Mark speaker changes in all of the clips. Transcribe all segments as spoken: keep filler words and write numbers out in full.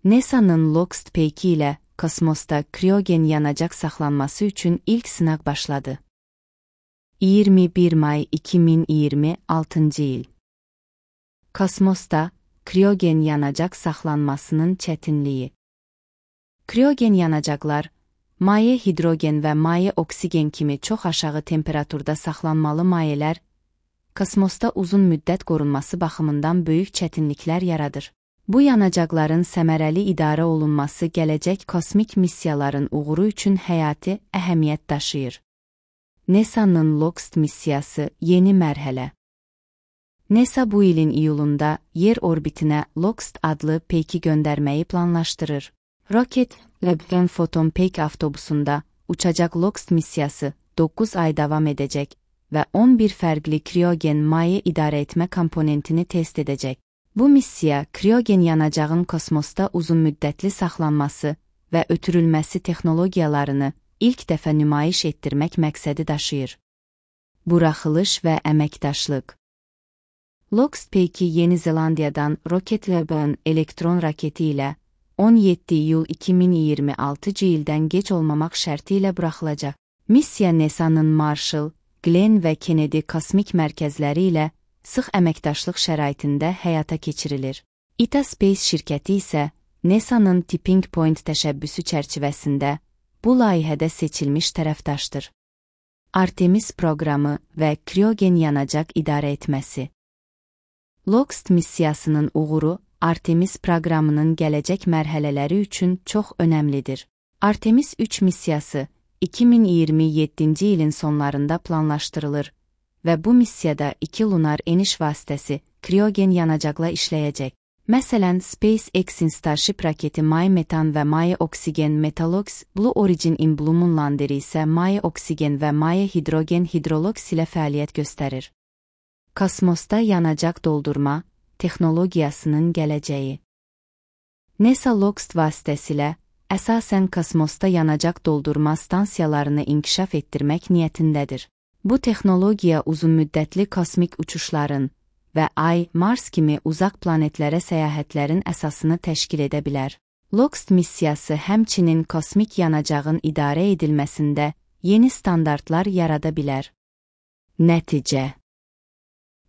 Speaker 1: NASA'nın LOXT P iki ile kosmosda kriyogen yanacak saxlanması üçün ilk sınaq başladı. iyirmi bir may iki min iyirmi altıncı il. Kosmosda kriyogen yanacak saxlanmasının çətinliyi. Kriyogen yanacaqlar, maye hidrogen və maye oksigen kimi çox aşağı temperaturda saxlanmalı mayələr, kosmosda uzun müddət qorunması baxımından böyük çətinliklər yaradır. Bu yanacaqların səmərəli idarə olunması gələcək kosmik missiyaların uğuru üçün həyati əhəmiyyət daşıyır. NASA'nın LOXT missiyası yeni mərhələ. NASA bu ilin iyulunda yer orbitinə LOXT adlı P iki göndərməyi planlaşdırır. Rocket Lab Photon P iki avtobusunda uçacaq LOXT missiyası doqquz ay davam edəcək və on bir fərqli kriyogen maye idarə etmə komponentini test edəcək. Bu missiya, kriyogen yanacağın kosmosda uzun müddətli saxlanması və ötürülməsi texnologiyalarını ilk dəfə nümayiş etdirmək məqsədi daşıyır. Buraxılış və əməkdaşlıq. LOXT P iki Yeni Zelandiyadan Rocket Lab'ın elektron raketi ilə on yeddi iyul iki min iyirmi altıncı ildən gec olmamaq şərti ilə buraxılacaq. Missiya NASA'nın Marshall, Glenn və Kennedy kosmik mərkəzləri ilə sıx əməkdaşlıq şəraitində həyata keçirilir. I T A Space şirkəti isə NASA'nın Tipping Point təşəbbüsü çərçivəsində bu layihədə seçilmiş tərəfdaşdır. Artemis proqramı və kriyogen yanacaq idarə etməsi. LOXT missiyasının uğuru Artemis proqramının gələcək mərhələləri üçün çox önəmlidir. Artemis üç missiyası iki min iyirmi yeddinci ilin sonlarında planlaşdırılır və bu missiyada iki lunar eniş vasitəsi kriyogen yanacaqla işləyəcək. Məsələn, SpaceX-in Starship raketi maye metan və maye oksigen Metalox, Blue Origin-in Blue Moon landeri isə maye oksigen və maye hidrogen Hydrolox ilə fəaliyyət göstərir. Kosmosda yanacaq doldurma texnologiyasının gələcəyi. NASA LOXT vasitəsilə əsasən kosmosda yanacaq doldurma stansiyalarını inkişaf etdirmək niyyətindədir. Bu texnologiya uzunmüddətli kosmik uçuşların və Ay, Mars kimi uzaq planetlərə səyahətlərin əsasını təşkil edə bilər. LOXT missiyası həmçinin kosmik yanacağın idarə edilməsində yeni standartlar yarada bilər. Nəticə.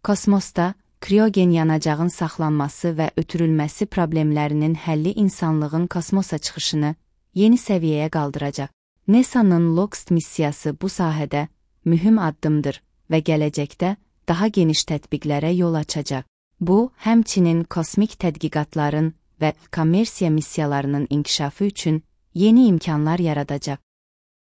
Speaker 1: Kosmosda kriyogen yanacağın saxlanması və ötürülməsi problemlərinin həlli insanlığın kosmosa çıxışını yeni səviyyəyə qaldıracaq. NASA'nın LOXT missiyası bu sahədə mühüm addımdır və gələcəkdə daha geniş tətbiqlərə yol açacaq. Bu, həmçinin kosmik tədqiqatların və kommersiya missiyalarının inkişafı üçün yeni imkanlar yaradacaq.